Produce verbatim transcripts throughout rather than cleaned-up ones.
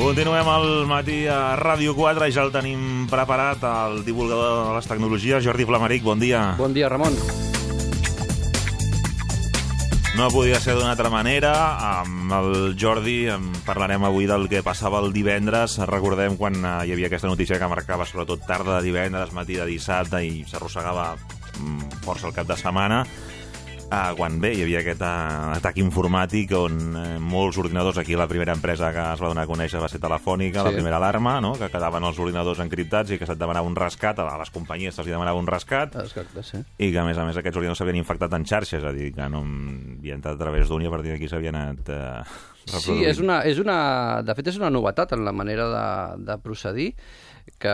Continuem al matí a Ràdio quatre, ja el tenim preparat, el divulgador de les tecnologies, Jordi Flamaric, bon dia. Bon dia, Ramon. No podia ser d'una altra manera, amb el Jordi parlarem avui del que passava el divendres. Recordem quan hi havia aquesta notícia que marcava sobretot tarda de divendres, matí de dissabte i s'arrossegava força el cap de setmana. Uh, quan bé, hi havia aquest uh, atac informàtic on uh, molts ordinadors, aquí la primera empresa que es va donar a conèixer va ser Telefònica, sí. La primera alarma, no? Que quedaven els ordinadors encriptats i que se't demanava un rescat, a les companyies se'ls demanava un rescat, Exacte, sí. I que a més a més aquests ordinadors s'havien infectat en xarxes, és a dir, que no havien entrat a través d'un i a partir d'aquí s'havien anat uh, reproduint. Sí, és una, és una, de fet és una novetat en la manera de, de procedir, que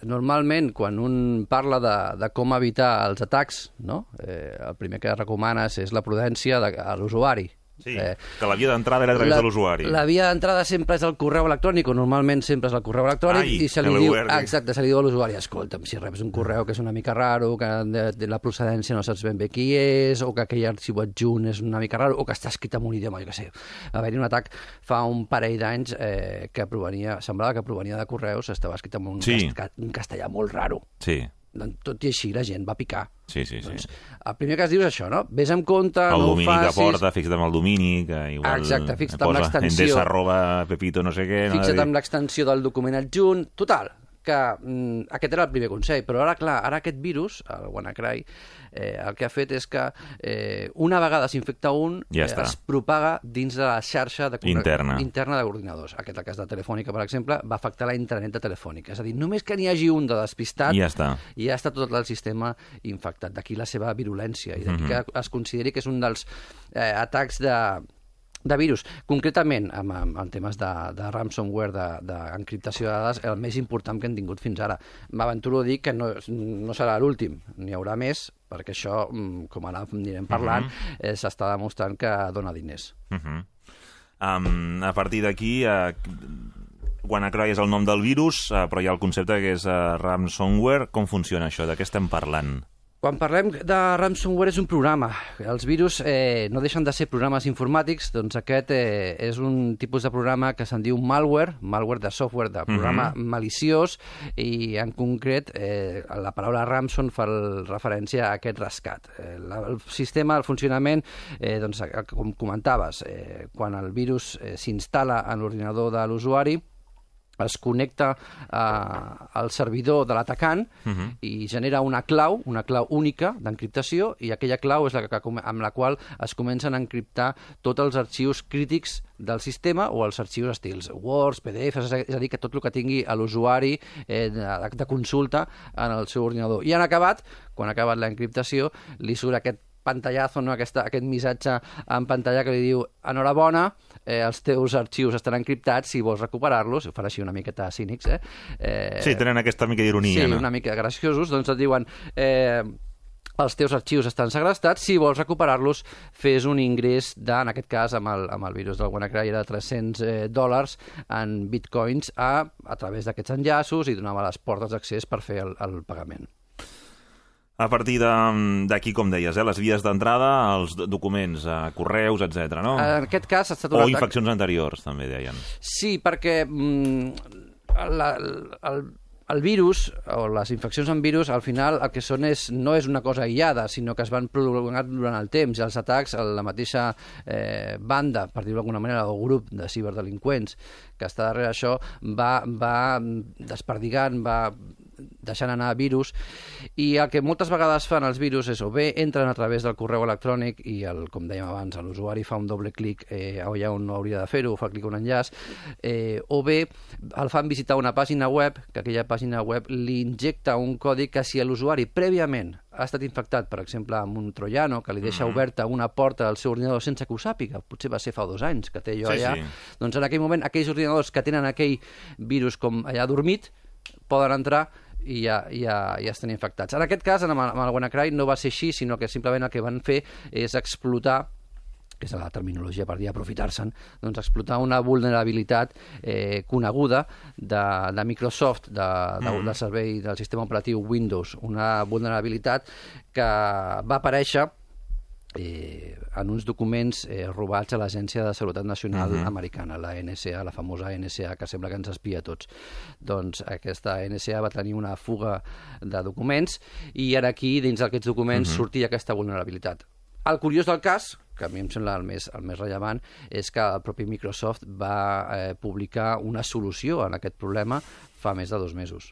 normalment quan un parla de, de com evitar els atacs, no? eh, el primer que recomanes és la prudència de, a l'usuari. Sí, eh, que la via d'entrada era a través la, de l'usuari. La via d'entrada sempre és el correu electrònic, o normalment sempre és el correu electrònic, Ai, i se li diu, exacte, se li diu a l'usuari, escolta'm, si reps un correu que és una mica raro, que de, de la procedència no saps ben bé qui és, o que aquell arxiu adjunt és una mica raro, o que està escrit en un idioma, jo què sé. Va haver-hi un atac fa un parell d'anys eh, que provenia, semblava que provenia de correus, estava escrit en un, sí. cast, un castellà molt raro. Sí. Tot i així la gent va picar. Sí, sí, sí. Doncs, el primer que es diu és això, no? Ves amb compte, el no ho facis... El domini que porta, fixa't amb el domini, que igual... Exacte, fixa't amb l'extensió... Endesa arroba pepito no sé què... Fixa't no? amb l'extensió del document adjunt... Total, que mm, aquest era el primer consell, però ara, clar, ara aquest virus, el WannaCry, eh, el que ha fet és que eh, una vegada s'infecta un, ja eh, es propaga dins de la xarxa de interna, interna d'ordinadors. Aquest, el cas de Telefònica, per exemple, va afectar la intranet de Telefònica. És a dir, només que n'hi hagi un de despistat, ja està. I ja està tot el sistema infectat. D'aquí la seva virulència, i d'aquí mm-hmm. que es consideri que és un dels eh, atacs de... de virus. Concretament, amb, amb, en temes de, de ransomware, d'encriptació de, de dades, el més important que hem tingut fins ara. M'aventuro a dir que no, no serà l'últim, n'hi haurà més, perquè això, com ara anirem parlant, uh-huh. eh, s'està demostrant que dona diners. Uh-huh. um, a partir d'aquí... Uh... WannaCry és el nom del virus, uh, però hi ha el concepte que és uh, ransomware. Com funciona això? De què estem parlant? Quan parlem de ransomware és un programa. Els virus eh, no deixen de ser programes informàtics, doncs aquest eh, és un tipus de programa que se'n diu malware, malware de software, de programa mm-hmm. maliciós, i en concret eh, la paraula ransom fa el, referència a aquest rescat. Eh, la, el sistema, el funcionament, eh, doncs, com comentaves, eh, quan el virus eh, s'instal·la en l'ordinador de l'usuari, es connecta eh, al servidor de l'atacant uh-huh. i genera una clau, una clau única d'encriptació, i aquella clau és la que, amb la qual es comencen a encriptar tots els arxius crítics del sistema o els arxius estils Word, P D F, és a dir, que tot el que tingui a l'usuari eh, de, de consulta en el seu ordinador. I han acabat, quan ha acabat l'encriptació, li surt aquest pantallazo, no? Aquesta, aquest missatge en pantalla que li diu enhorabona, eh, els teus arxius estan encriptats, si vols recuperar-los, ho fan així una miqueta cínics, eh? eh sí, tenen aquesta mica d'ironia, sí, no? Sí, una mica graciosos, doncs et diuen... Eh, els teus arxius estan segrestats, si vols recuperar-los, fes un ingrés de, en aquest cas, amb el, amb el virus del WannaCry, era de tres-cents eh, dòlars en bitcoins a, a través d'aquests enllaços, i donava les portes d'accés per fer el, el pagament. A partir d'aquí, com deies, eh, les vies d'entrada, els documents, eh, correus, etcètera, no? En aquest cas ha estat o infeccions anteriors, també deien. Sí, perquè mm, la, el, el virus, o les infeccions amb virus, al final el que són és, no és una cosa aïllada, sinó que es van prolongar durant el temps, i els atacs, la mateixa eh, banda, per dir-ho d'alguna manera, o grup de ciberdelinqüents que està darrere això, va, va desperdigant, va deixant anar virus, i el que moltes vegades fan els virus és o bé entren a través del correu electrònic i, el, com dèiem abans, l'usuari fa un doble clic eh, allà on no hauria de fer-ho, fa clic a un enllaç, eh, o bé el fan visitar una pàgina web, que aquella pàgina web li injecta un codi que, si l'usuari prèviament ha estat infectat, per exemple, amb un troiano que li deixa mm-hmm. oberta una porta al seu ordinador sense que ho sàpiga, potser va ser fa dos anys que té allò sí, allà, sí. Doncs en aquell moment aquells ordinadors que tenen aquell virus com allà dormit poden entrar i ja, ja, ja estan infectats. En aquest cas, amb el, amb el WannaCry no va ser així, sinó que simplement el que van fer és explotar, que és la terminologia per dir aprofitar-se'n, doncs explotar una vulnerabilitat eh, coneguda de, de Microsoft, de, de, mm. del servei del sistema operatiu Windows, una vulnerabilitat que va aparèixer eh, en uns documents eh, robats a l'Agència de Seguretat Nacional uh-huh. americana, la N S A, la famosa N S A, que sembla que ens espia a tots. Doncs aquesta N S A va tenir una fuga de documents i ara aquí, dins d'aquests documents, uh-huh. sortia aquesta vulnerabilitat. El curiós del cas, que a mi em sembla el més, el més rellevant, és que el propi Microsoft va eh, publicar una solució a aquest problema fa més de dos mesos.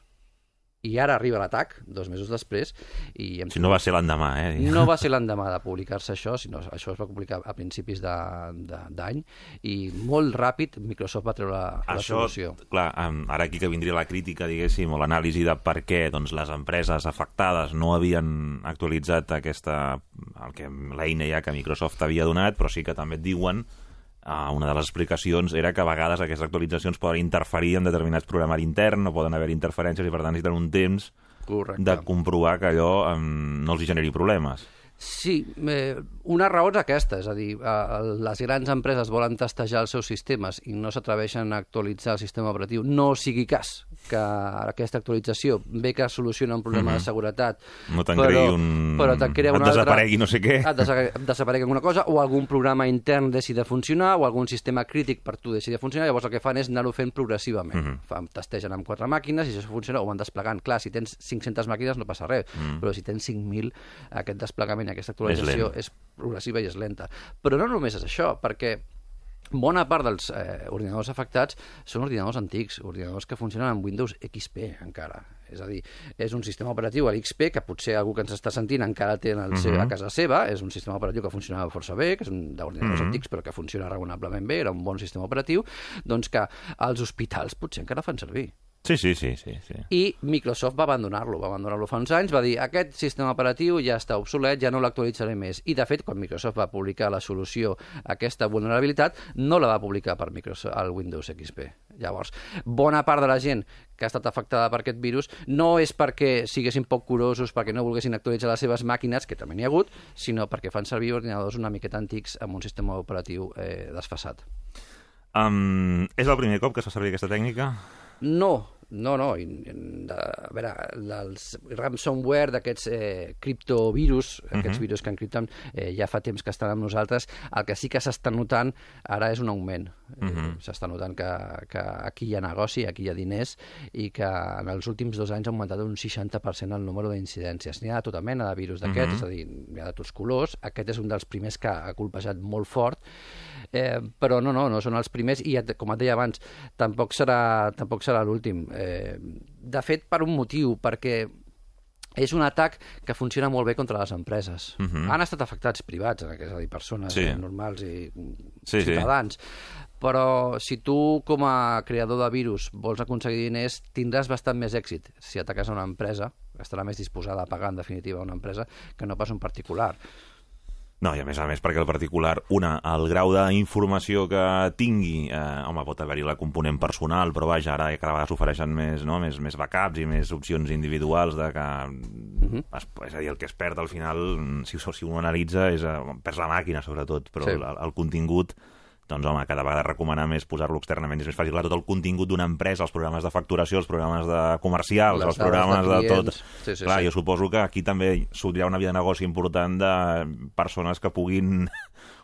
I ara arriba l'atac, dos mesos després, i... Em... Si no va ser l'endemà, eh? No va ser l'endemà de publicar-se això, sinó això es va publicar a principis d'any, i molt ràpid Microsoft va treure la, la això, solució. Clar, ara aquí que vindria la crítica, diguéssim, o l'anàlisi de per què doncs, les empreses afectades no havien actualitzat aquesta, el que l'eina ja que Microsoft havia donat, però sí que també et diuen Uh, una de les explicacions era que a vegades aquestes actualitzacions poden interferir en determinats programari intern, no poden haver interferències i per tant necessiten un temps Correcte. De comprovar que allò um, no els generi problemes. Sí, eh, una raó és aquesta, és a dir, eh, les grans empreses volen testejar els seus sistemes i no s'atreveixen a actualitzar el sistema operatiu. No sigui cas que aquesta actualització ve que soluciona un problema mm-hmm. de seguretat, no te'n cregui un... però te'n crea una et desaparegui altra... no sé què. Et desa- desaparegui alguna cosa, o algun programa intern deixi de funcionar, o algun sistema crític per tu deixi de funcionar, llavors el que fan és anar-ho fent progressivament. Mm-hmm. Fan, testegen amb quatre màquines i si això funciona ho van desplegant. Clar, si tens cinc-centes màquines no passa res, mm. però si tens cinc mil, aquest desplegament, aquesta actualització és, és progressiva i és lenta. Però no només és això, perquè bona part dels eh, ordinadors afectats són ordinadors antics, ordinadors que funcionen amb Windows X P encara. És a dir, és un sistema operatiu a l'X P que potser algú que ens està sentint encara té en el seu, uh-huh. a casa seva, és un sistema operatiu que funcionava força bé, que és un d'ordinadors uh-huh. antics però que funciona raonablement bé, era un bon sistema operatiu, doncs que als hospitals potser encara fan servir. Sí, sí, sí, sí, sí. I Microsoft va abandonar-lo, va abandonar-lo fa uns anys, va dir aquest sistema operatiu ja està obsolet, ja no l'actualitzaré més. I de fet, quan Microsoft va publicar la solució a aquesta vulnerabilitat, no la va publicar per Microsoft, el Windows X P. Llavors, bona part de la gent que ha estat afectada per aquest virus no és perquè siguessin poc curosos, perquè no volguessin actualitzar les seves màquines, que també n'hi ha hagut, sinó perquè fan servir ordinadors una miqueta antics amb un sistema operatiu eh, desfasat. Um, és el primer cop que es fa servir aquesta tècnica? No, no, no. A veure, els ransomware d'aquests eh, criptovirus, aquests uh-huh. virus que encripten, eh, ja fa temps que estan amb nosaltres. El que sí que s'està notant ara és un augment. Uh-huh. Eh, s'està notant que, que aquí hi ha negoci, aquí hi ha diners, i que en els últims dos anys ha augmentat un seixanta per cent el número d'incidències. N'hi ha de tota mena de virus d'aquests, uh-huh. és a dir, n'hi ha de tots colors. Aquest és un dels primers que ha colpejat molt fort, eh, però no, no, no són els primers, i com et deia abans, tampoc serà, tampoc serà l'últim. Eh, de fet, per un motiu, perquè és un atac que funciona molt bé contra les empreses. Uh-huh. Han estat afectats privats, és a dir, persones sí. normals i sí, ciutadans. Sí. Però si tu, com a creador de virus, vols aconseguir diners, tindràs bastant més èxit si ataques a una empresa, estarà més disposada a pagar, en definitiva, a una empresa, que no pas un particular. No, i a més a més perquè el particular, una, el grau d'informació que tingui, eh, home, pot haver-hi la component personal, però vaja, ara cada vegada s'ofereixen més, no? més, més backups i més opcions individuals de que, uh-huh. es, és a dir, el que es perd al final, si, si un analitza, és, perds la màquina sobretot, però sí. el, el contingut, doncs home, cada vegada recomanar més posar-lo externament, és més fàcil, clar, tot el contingut d'una empresa, els programes de facturació, els programes de comercials, les els programes de, de tot. Sí, sí, clar, sí. Jo suposo que aquí també sortirà una via de negoci important de persones que puguin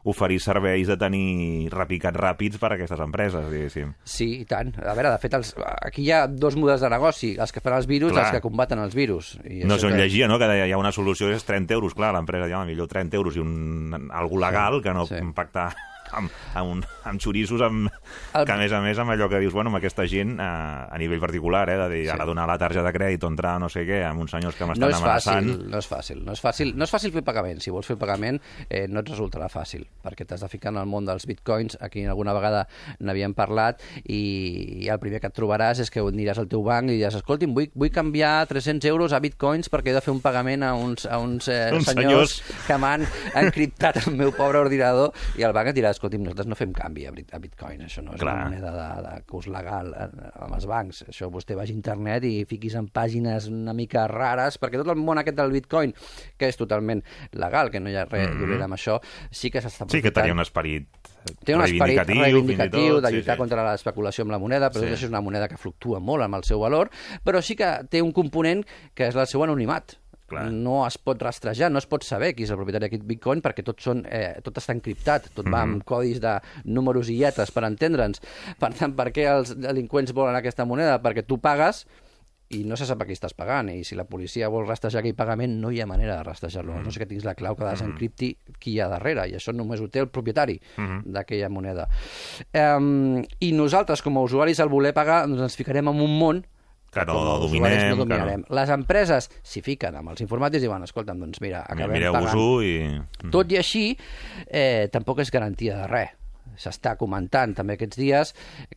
oferir serveis de tenir repicats ràpids per a aquestes empreses, diguéssim. Sí, i tant. A veure, de fet, els, aquí hi ha dos models de negoci, els que fan els virus i els que combaten els virus. I no sé on que... llegia, no?, que hi ha una solució que és trenta euros, clar, l'empresa ja, millor trenta euros i un, algú legal sí, que no sí. impactar... Amb, amb, un, amb xoriços amb, el... que a més a més amb allò que dius, bueno, amb aquesta gent a, a nivell particular, eh, de dir, sí. ara donar la targeta de crèdit o entrar no sé què amb uns senyors que m'estan no amenaçant. Fàcil, no és fàcil, no és fàcil, no és fàcil fer pagament. Si vols fer pagament eh, no et resultarà fàcil, perquè t'has de ficar en el món dels bitcoins. Aquí alguna vegada n'havíem parlat i, i el primer que et trobaràs és que aniràs al teu banc i diràs, escolti'm, vull, vull canviar tres-cents euros a bitcoins perquè he de fer un pagament a uns, a uns, eh, uns senyors, senyors que m'han encriptat el meu pobre ordinador, i el banc et dirà, escolti'm, nosaltres no fem canvi a bitcoin, això no és Clar. una moneda de, de curs legal amb els bancs, això vostè vagi a internet i fiquis en pàgines una mica rares, perquè tot el món aquest del bitcoin, que és totalment legal, que no hi ha res mm-hmm. dolent amb això, sí que s'està aprofitant. Sí que tenia un esperit Té un esperit reivindicatiu de lluitar sí, sí. contra l'especulació amb la moneda, però sí. això és una moneda que fluctua molt amb el seu valor, però sí que té un component que és el seu anonimat. Clar. No es pot rastrejar, no es pot saber qui és el propietari d'aquest bitcoin perquè tot, són, eh, tot està encriptat, tot mm-hmm. va amb codis de números i lletres per entendre'ns. Per tant, per què els delinqüents volen aquesta moneda? Perquè tu pagues i no se sap a qui estàs pagant, i si la policia vol rastrejar aquell pagament no hi ha manera de rastrejar-lo, mm-hmm. no sé que tinguis la clau que desencripti qui hi ha darrere, i això només ho té el propietari mm-hmm. d'aquella moneda. Um, I nosaltres, com a usuaris, al voler pagar, doncs ens ficarem en un món que no dominem, no dominarem. Que no. Les empreses s'hi fiquen amb els informàtics i diuen, escolta'm, doncs mira, acabem pagant. I... Tot i així, eh, tampoc és garantia de res. S'està comentant també aquests dies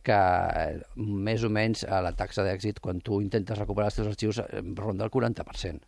que eh, més o menys a la taxa d'èxit quan tu intentes recuperar els teus arxius eh, ronda el quaranta per cent.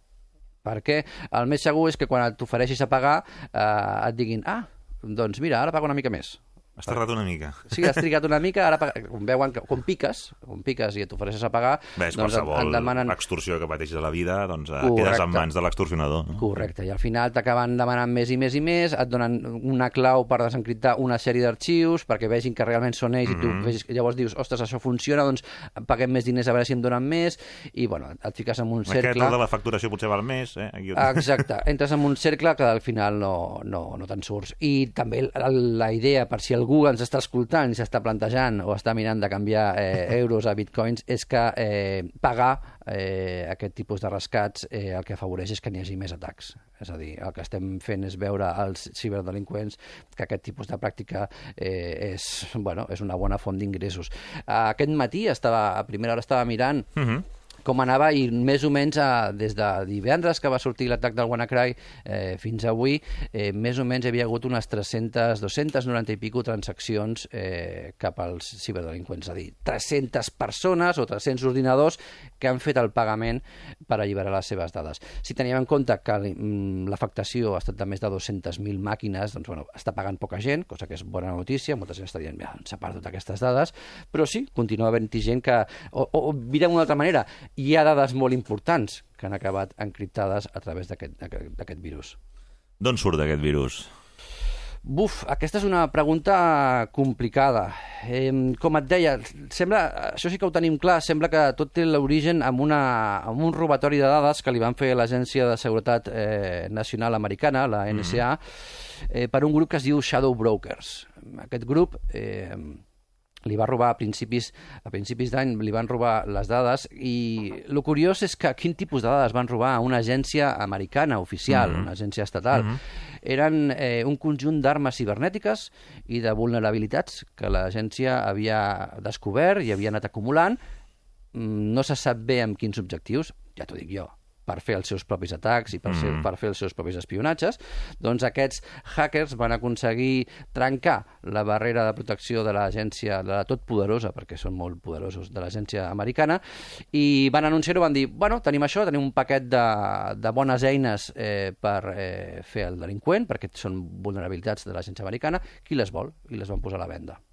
Perquè el més segur és que quan t'ofereixis a pagar eh, et diguin, ah, doncs mira, ara pago una mica més. Has tardat una mica. Sí, has trigat una mica, ara com veuen que quan piques, quan piques i et ofereixes a pagar... Ves, doncs qualsevol demanen... extorsió que pateixis a la vida, doncs Correcte. Quedes en mans de l'extorsionador. No? Correcte, i al final t'acaben demanant més i més i més, et donen una clau per desencriptar una sèrie d'arxius perquè vegin que realment són ells mm-hmm. i tu vegis, llavors dius, ostres, això funciona, doncs paguem més diners a veure si em donen més, i bueno, et fiques en un cercle... Aquest de la facturació potser val més, eh? Aquí... Exacte, entres en un cercle que al final no, no, no te'n surts. I també la, la idea, per si algú ens està escoltant i s'està plantejant o està mirant de canviar eh, euros a bitcoins, és que eh, pagar eh, aquest tipus de rescats eh, el que afavoreix és que n'hi hagi més atacs. És a dir, el que estem fent és veure als ciberdelinqüents que aquest tipus de pràctica eh, és, bueno, és una bona font d'ingressos. Aquest matí, estava, a primera hora estava mirant uh-huh. com anava, i més o menys eh, des de divendres que va sortir l'atac del WannaCry eh, fins avui, eh, més o menys hi havia hagut unes tres-centes, dues-centes noranta i pico transaccions eh, cap als ciberdelinqüents, és a dir, tres-centes persones o tres-cents ordinadors que han fet el pagament per alliberar les seves dades. Si teníem en compte que l'afectació ha estat de més de dues-centes mil màquines, doncs bueno, està pagant poca gent, cosa que és bona notícia, molta gent està dient, ja, s'ha perdut aquestes dades, però sí, continua havent-hi gent que, o, o mirem d'una altra manera, hi ha dades molt importants que han acabat encriptades a través d'aquest virus. D'on surt aquest virus? Buf, aquesta és una pregunta complicada. Eh, com et deia, sembla, això sí que ho tenim clar, sembla que tot té l'origen amb, una, amb un robatori de dades que li van fer l'Agència de Seguretat eh, Nacional Americana, la N S A, eh, per un grup que es diu Shadow Brokers. Aquest grup... Eh, li va robar a principis, a principis d'any, li van robar les dades, i el curiós és que quin tipus de dades van robar a una agència americana oficial, mm-hmm. una agència estatal. Mm-hmm. Eren eh, un conjunt d'armes cibernètiques i de vulnerabilitats que l'agència havia descobert i havia anat acumulant. No se sap bé amb quins objectius, ja t'ho dic jo, per fer els seus propis atacs i per, mm. ser, per fer els seus propis espionatges, doncs aquests hackers van aconseguir trencar la barrera de protecció de l'agència, de la totpoderosa, perquè són molt poderosos, de l'agència americana, i van anunciar-ho, van dir, bueno, tenim això, tenim un paquet de, de bones eines eh, per eh, fer el delinqüent, perquè són vulnerabilitats de l'agència americana, qui les vol? I les van posar a la venda.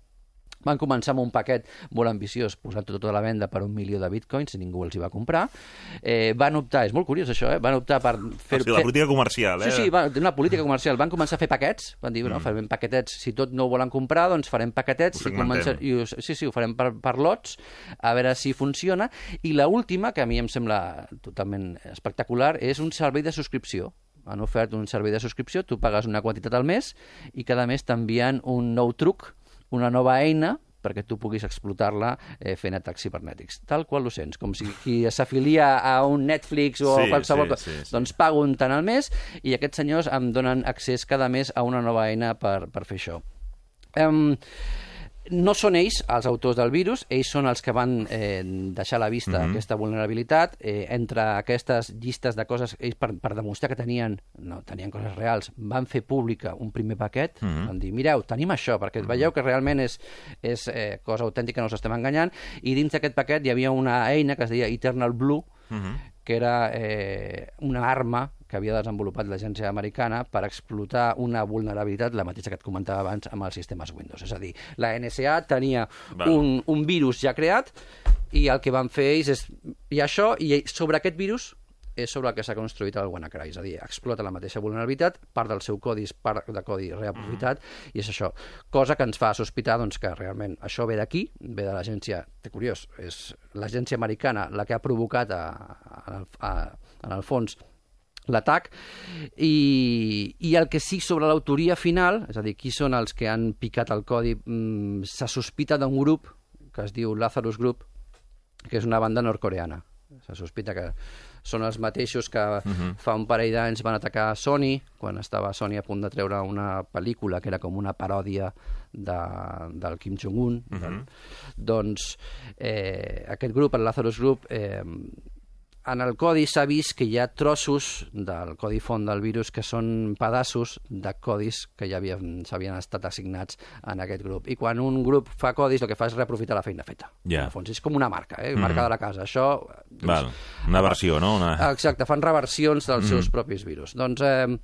Van començar amb un paquet molt ambiciós, posant tot a la venda per un milió de bitcoins, i ningú els hi va comprar. Eh, van optar, és molt curiós això, eh? van optar per fer... O sigui, la política comercial, eh? Sí, sí, va, una política comercial. Van començar a fer paquets, van dir, bueno, mm. farem paquetets, si tot no ho volen comprar, doncs farem paquetets, i comença... i ho... sí, sí, ho farem per, per lots, a veure si funciona. I l'última, que a mi em sembla totalment espectacular, és un servei de subscripció. Han ofert un servei de subscripció, tu pagues una quantitat al mes, i cada mes t'envien un nou truc, una nova eina, perquè tu puguis explotar-la eh, fent atacs cibernètics. Tal qual ho sents, com si qui s'afilia a un Netflix o sí, qualsevol cosa. Sí, sí, sí. Doncs pago un tant al mes i aquests senyors em donen accés cada mes a una nova eina per, per fer això. Um, no són ells els autors del virus, ells són els que van eh, deixar a la vista mm-hmm. aquesta vulnerabilitat. Eh, entre aquestes llistes de coses, ells per, per demostrar que tenien, no, tenien coses reals, van fer pública un primer paquet, mm-hmm. van dir, mireu, tenim això, perquè mm-hmm. veieu que realment és, és eh, cosa autèntica, no us estem enganyant, i dins d'aquest paquet hi havia una eina que es deia Eternal Blue, mm-hmm. que era eh, una arma que havia desenvolupat l'agència americana per explotar una vulnerabilitat, la mateixa que et comentava abans, amb els sistemes Windows. És a dir, la N S A tenia un, un virus ja creat i el que van fer ells és... I això, i sobre aquest virus és sobre el que s'ha construït el WannaCry, és a dir, explota la mateixa vulnerabilitat, part del seu codi és part de codi reaprofitat, mm. i és això. Cosa que ens fa sospitar doncs, que realment això ve d'aquí, ve de l'agència, té curiós, és l'agència americana la que ha provocat a, a, a, en el fons l'atac, i, i el que sí sobre l'autoria final, és a dir, qui són els que han picat el codi, mmm, se sospita d'un grup que es diu Lazarus Group, que és una banda nord-coreana. Se sospita que són els mateixos que uh-huh. fa un parell d'anys van atacar Sony, quan estava Sony a punt de treure una pel·lícula que era com una paròdia de, del Kim Jong-un. Uh-huh. Del, doncs eh, aquest grup, el Lazarus Group, eh, en el codi s'ha vist que hi ha trossos del codi font del virus que són pedaços de codis que ja s'havien estat assignats en aquest grup. I quan un grup fa codis, el que fa és reaprofitar la feina feta. Yeah. En fons, és com una marca, eh? Marca mm. de la casa. Això... Doncs, Val. Una versió, no? Una... Exacte, fan reversions dels mm. seus propis virus. Doncs... Eh,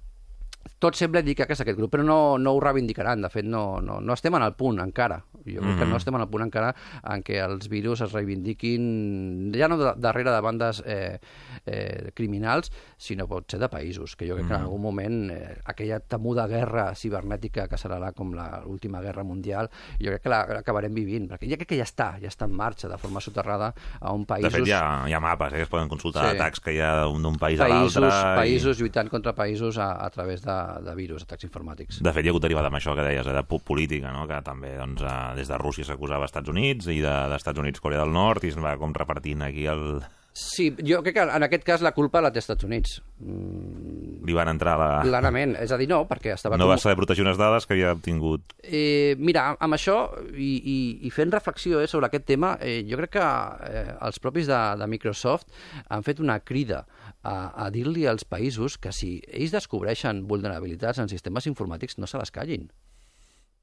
tot sembla indicar que és aquest grup, però no, no ho reivindicaran. De fet, no, no, no estem en el punt encara. Jo crec mm-hmm. que no estem en el punt encara en què els virus es reivindiquin, ja no de, darrere de bandes eh, eh, criminals, sinó pot ser de països, que jo crec mm-hmm. que en algun moment eh, aquella temuda guerra cibernètica que serà com l'última guerra mundial, jo crec que l'acabarem vivint, perquè ja crec que ja està, ja està en marxa de forma soterrada a un països... De fet, hi ha, hi ha mapes eh, que es poden consultar, sí. atacs que hi ha d'un país països, a l'altre... Països i... lluitant contra països a, a través de de virus, atacs informàtics. De fet, hi ha hagut derivada amb això que deies, eh, de política, no? Que també doncs, eh, des de Rússia s'acusava als Estats Units i de, dels Estats Units Corea del Nord i es va com repartint aquí el... Sí, jo crec que en aquest cas la culpa la té als Estats Units. Mm... Li van entrar la... Clarament, és a dir, no, perquè estava... No com... va saber protegir unes dades que havia obtingut. Eh, mira, amb això, i, i, i fent reflexió eh, sobre aquest tema, eh, jo crec que eh, els propis de, de Microsoft han fet una crida a, a dir-li als països que si ells descobreixen vulnerabilitats en sistemes informàtics no se les callin,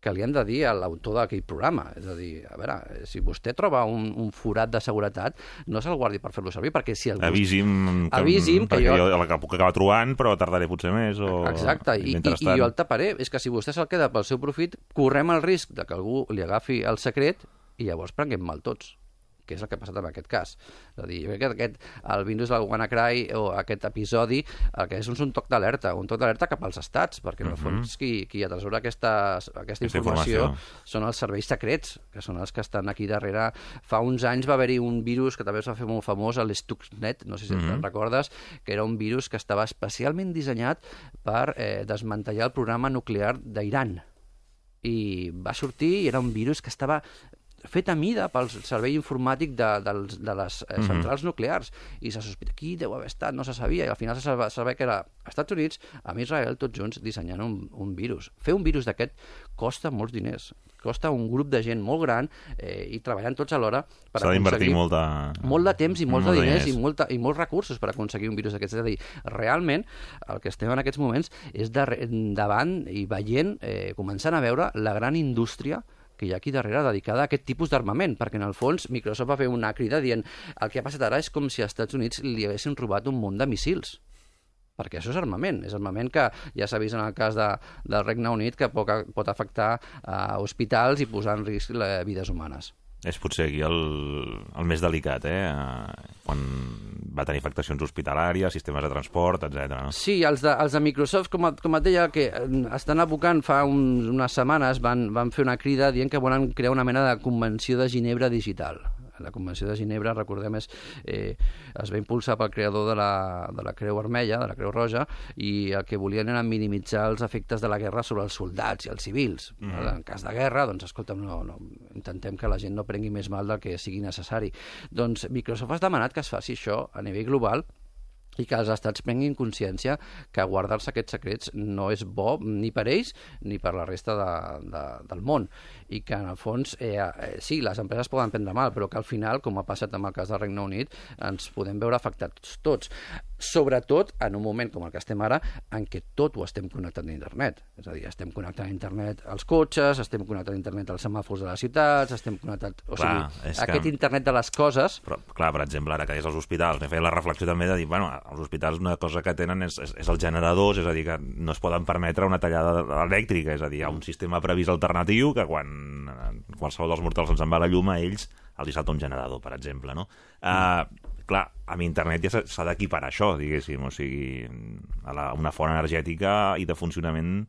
que li han de dir a l'autor d'aquell programa. És a dir, a veure, si vostè troba un, un forat de seguretat, no se'l guardi per fer-lo servir, perquè si... El Avisi'm, que, avisi'm que jo... jo... jo puc acabar trobant, però tardaré potser més. O... Exacte, I, i, i jo el taparé. És que si vostè se'l queda pel seu profit, correm el risc de que algú li agafi el secret i llavors prenguem mal tots, que és el que ha passat en aquest cas. És a dir, jo crec que aquest, el Windows del WannaCry o aquest episodi el que és un, un toc d'alerta, un toc d'alerta cap als estats, perquè en el uh-huh. fons qui, qui atresora aquesta, aquesta informació, informació són els serveis secrets, que són els que estan aquí darrere. Fa uns anys va haver-hi un virus que també es va fer molt famós, l'Stuxnet, no sé si uh-huh. te'n recordes, que era un virus que estava especialment dissenyat per eh, desmantellar el programa nuclear d'Iran. I va sortir i era un virus que estava fet a mida pel servei informàtic de, de, de les eh, centrals mm-hmm. nuclears, i se sospita qui deu haver estat, no se sabia, i al final se sabia que era als Estats Units, amb Israel, tots junts dissenyant un, un virus. Fer un virus d'aquest costa molts diners, costa un grup de gent molt gran eh, i treballant tots alhora per S'ha d'invertir molt de... molt de temps i molts molt de diners, diners. I, molta, i molts recursos per aconseguir un virus d'aquests. És a dir, realment el que estem en aquests moments és de, davant i veient, eh, començant a veure la gran indústria que hi ha aquí darrere dedicada a aquest tipus d'armament, perquè en el fons Microsoft va fer una crida dient el que ha passat ara és com si als Estats Units li haguessin robat un munt de míssils, perquè això és armament, és armament que ja s'ha vist en el cas de, del Regne Unit que pot, pot afectar a hospitals i posar en risc les vides humanes. És potser aquí el, el més delicat, eh? Quan va tenir afectacions hospitalàries, sistemes de transport, etcètera. No? Sí, els de, els de Microsoft, com, com et deia, que estan abocant fa un, unes setmanes, van, van fer una crida dient que volen crear una mena de convenció de Ginebra digital. La Convenció de Ginebra, recordem, és, eh, es va impulsar pel creador de la, de la Creu Vermella, de la Creu Roja, i el que volien era minimitzar els efectes de la guerra sobre els soldats i els civils. Mm. En cas de guerra, doncs, escolta'm, no, no, intentem que la gent no prengui més mal del que sigui necessari. Doncs Microsoft ha demanat que es faci això a nivell global i que els estats prenguin consciència que guardar-se aquests secrets no és bo ni per ells ni per la resta de, de, del món, i que en el fons eh, eh, sí, les empreses poden prendre mal, però que al final, com ha passat amb el cas del Regne Unit, ens podem veure afectats tots, sobretot en un moment com el que estem ara, en què tot ho estem connectant a internet. És a dir, estem connectant a internet als cotxes, estem connectant a internet als semàfors de les ciutats, estem connectant... O clar, sigui, aquest que... internet de les coses... Però, clar, per exemple, ara que és als hospitals, m'he fet la reflexió també de dir, bueno, als hospitals una cosa que tenen és, és, és els generadors, és a dir, que no es poden permetre una tallada elèctrica, és a dir, hi ha un sistema previst alternatiu que quan qualsevol dels mortals ens en va la llum, a ells els hi salta un generador, per exemple, no? Mm. Uh, clar, amb internet ja s'ha d'equiparar això, diguéssim, o sigui, a la, una font energètica i de funcionament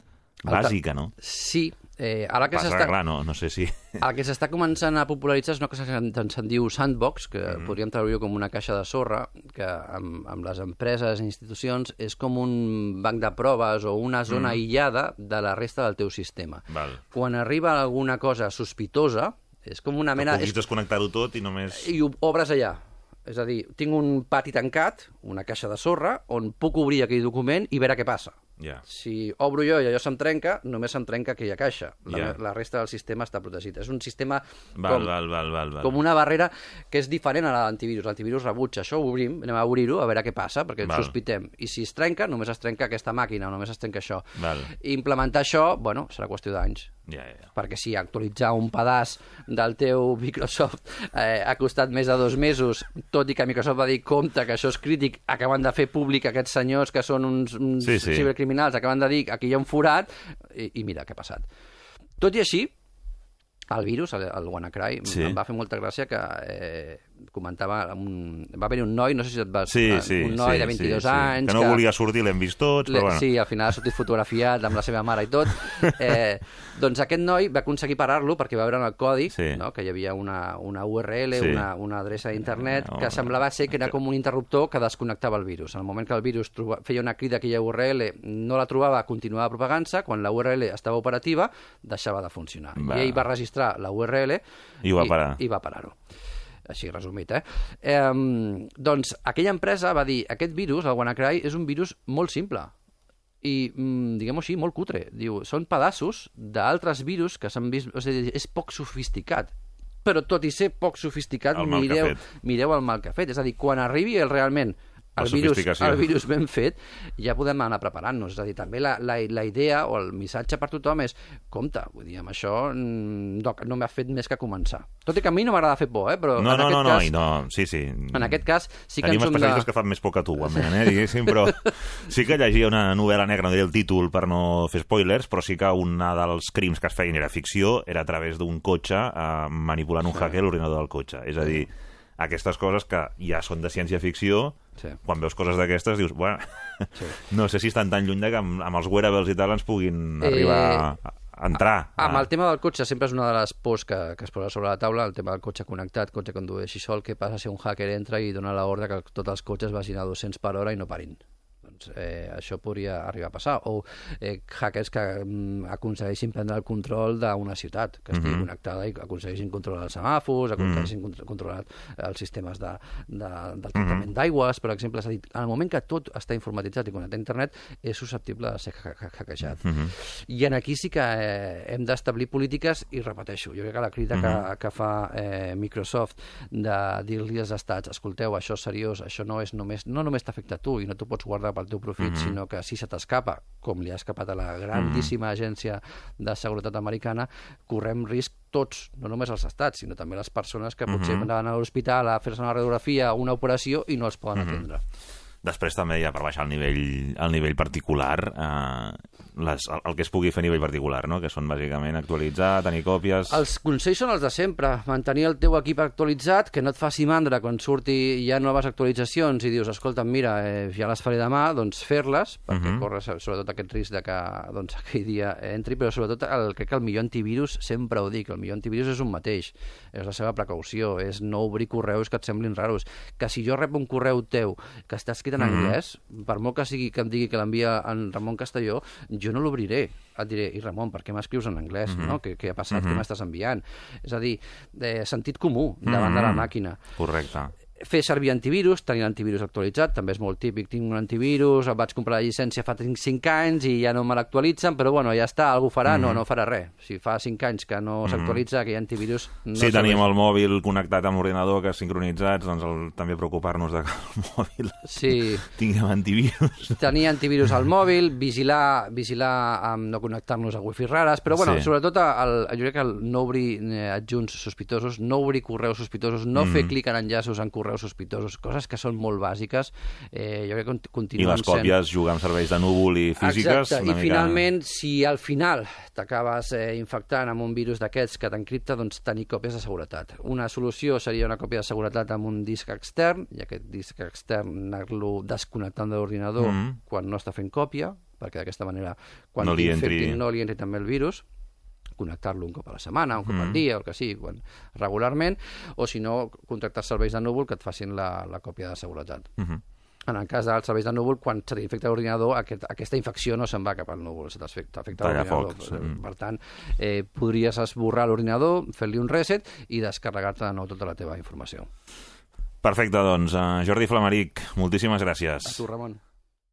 bàsica, no? Sí. Eh, ara que Passa que, clar, no, no sé si... El que s'està començant a popularitzar és una cosa que se'n diu sandbox, que mm. podríem treure-ho com una caixa de sorra, que amb, amb les empreses i institucions és com un banc de proves o una zona mm. aïllada de la resta del teu sistema. Val. Quan arriba alguna cosa sospitosa, és com una mena... Que puguis desconnectar-ho tot i només... I ho obres allà. És a dir, tinc un pati tancat, una caixa de sorra, on puc obrir aquell document i veure què passa. Yeah. Si obro jo i allò se'm trenca, només se'm trenca aquella caixa. La, yeah. la resta del sistema està protegit. És un sistema val, com, val, val, val, val. com una barrera que és diferent a l'antivirus. L'antivirus rebutja això, ho obrim, anem a obrir-ho, a veure què passa, perquè val. sospitem. I si es trenca, només es trenca aquesta màquina, o només es trenca això. Val. I implementar això, bueno, serà qüestió d'anys. Yeah, yeah. Perquè si actualitzar un pedaç del teu Microsoft eh, ha costat més de dos mesos, tot i que Microsoft va dir compte que això és crític, acaben de fer públic aquests senyors que són uns, uns sí, sí. cibercriminals, acaben de dir aquí hi ha un forat, i, i mira què ha passat. Tot i així, el virus, el, el WannaCry, sí. em va fer molta gràcia que eh, comentava, un, va haver un noi, no sé si et vas... Sí, sí, un noi sí, de vint-i-dos sí, sí. anys... Que no que, volia sortir, l'hem vist tots, però bueno. Sí, al final ha sortit fotografiat amb la seva mare i tot. Eh, doncs aquest noi va aconseguir parar-lo perquè va veure en el codi sí. no, que hi havia una, una U R L, sí. una, una adreça d'internet, no, que semblava ser que era com un interruptor que desconnectava el virus. En el moment que el virus troba, feia una crida a aquella U R L, no la trobava, continuava propagant-se, quan la U R L estava operativa, deixava de funcionar. Va. I ell va registrar la U R L i, ho va parar. i, i va parar-ho. Així resumit, eh? eh? Doncs aquella empresa va dir aquest virus, el WannaCry, és un virus molt simple i, diguem-ho així, molt cutre. Diu, són pedaços d'altres virus que s'han vist... O sigui, és poc sofisticat. Però tot i ser poc sofisticat, el mireu, mireu el mal que ha fet. És a dir, quan arribi el, realment el virus, el virus ben fet, ja podem anar preparant-nos. És a dir, també la, la, la idea o el missatge per tothom és compte, vull dir, amb això no, no m'ha fet més que començar. Tot i que a mi no m'agrada fer por, eh? Però no, en no, aquest no, cas... no, no, sí, sí. En aquest cas sí que Tenim ens som de... especialistes que fan més por que tu, almenys, eh, diguéssim, però sí que llegia una novel·la negra, no diré el títol per no fer spoilers, però sí que un dels crims que es feien era ficció, era a través d'un cotxe eh, manipulant un sí. hacker l'ordinador del cotxe. És a dir, aquestes coses que ja són de ciència-ficció, sí. quan veus coses d'aquestes dius, bueno, sí. no sé si estan tan lluny de que amb, amb els wearables i tal ens puguin eh, arribar a, a entrar. A, amb el tema del cotxe sempre és una de les pors que, que es posa sobre la taula, el tema del cotxe connectat, cotxe que condueixi sol, què passa si un hacker entra i dona l'ordre que tots els cotxes vagin a dos-cents per hora i no parin. Doncs eh, això podria arribar a passar. O eh, hackers que mm, aconsegueixin prendre el control d'una ciutat, que estigui mm-hmm. connectada i aconsegueixin controlar els semàfors, aconsegueixin mm-hmm. controlar els sistemes de, de, del tractament mm-hmm. d'aigües, per exemple. És a dir, en el moment que tot està informatitzat i connectat a internet, és susceptible de ser hackejat. Mm-hmm. I en aquí sí que eh, hem d'establir polítiques, i repeteixo, jo crec que la crida mm-hmm. que, que fa eh, Microsoft de dir-li als estats, escolteu, això és seriós, això no és només, no només t'afecta a tu i no t'ho pots guardar pel teu profit, mm-hmm. sinó que si se t'escapa, com li ha escapat a la grandíssima mm-hmm. agència de seguretat americana, correm risc tots, no només els estats, sinó també les persones que potser mm-hmm. van a l'hospital a fer-se una radiografia o una operació i no els poden mm-hmm. atendre. Després també, ja per baixar al nivell, al nivell particular, eh, les, el, el que es pugui fer a nivell particular, no? Que són bàsicament actualitzar, tenir còpies... Els consells són els de sempre. Mantenir el teu equip actualitzat, que no et faci mandra quan surti ja noves actualitzacions i dius, escolta, mira, eh, ja les faré demà, doncs fer-les, perquè uh-huh. corres sobretot aquest risc de que doncs, aquell dia entri, però sobretot el, crec que el millor antivirus, sempre ho dic, el millor antivirus és un mateix, és la seva precaució, és no obrir correus que et semblin raros. Que si jo rep un correu teu que està escrit en anglès, mm-hmm. per molt que sigui que em digui que l'envia en Ramon Castelló, jo no l'obriré. Et diré, i Ramon, per què m'escrius en anglès? Mm-hmm. No? Què, què ha passat? Mm-hmm. Què m'estàs enviant? És a dir, eh, sentit comú davant mm-hmm. de la màquina. Correcte. Fer servir antivirus, tenir l'antivirus actualitzat, també és molt típic, tinc un antivirus, el vaig comprar la llicència fa cinc anys i ja no me l'actualitzen, però bueno, ja està, algú farà, mm-hmm. no, no farà res. Si fa cinc anys que no s'actualitza, aquell antivirus... No si tenim el mòbil connectat amb l'ordinador, que sincronitzats, doncs el, també preocupar-nos de que el mòbil sí. tinguem antivirus. Tenir antivirus al mòbil, vigilar, vigilar amb no connectar-nos a wifi rares, però bueno, sí. sobretot el, jo crec que el no obrir adjunts sospitosos, no obrir correus sospitosos, no mm. fer clic en enllaços en correus sospitosos, coses que són molt bàsiques, eh, jo crec que continuen sent... I les còpies, sent... jugar amb serveis de núvol i físiques... Exacte, i mica... finalment, si al final t'acabes eh, infectant amb un virus d'aquests que t'encripta, doncs tenir còpies de seguretat. Una solució seria una còpia de seguretat amb un disc extern, i aquest disc extern anar-lo desconnectant de l'ordinador mm. quan no està fent còpia, perquè d'aquesta manera, quan no li entri... no li entri també el virus, connectar-lo un cop a la setmana, un cop al dia, el que sigui, quan, regularment, o si no, contractar serveis de núvol que et facin la, la còpia de seguretat. Uh -huh. En el cas dels serveis de núvol, quan se t'infecta l'ordinador, aquest, aquesta infecció no se'n va cap al núvol, se t'afecta l'ordinador. Foc. Per tant, eh, podries esborrar l'ordinador, fer-li un reset i descarregar-te de nou tota la teva informació. Perfecte, doncs. Uh, Jordi Flamaric, moltíssimes gràcies. A tu, Ramon.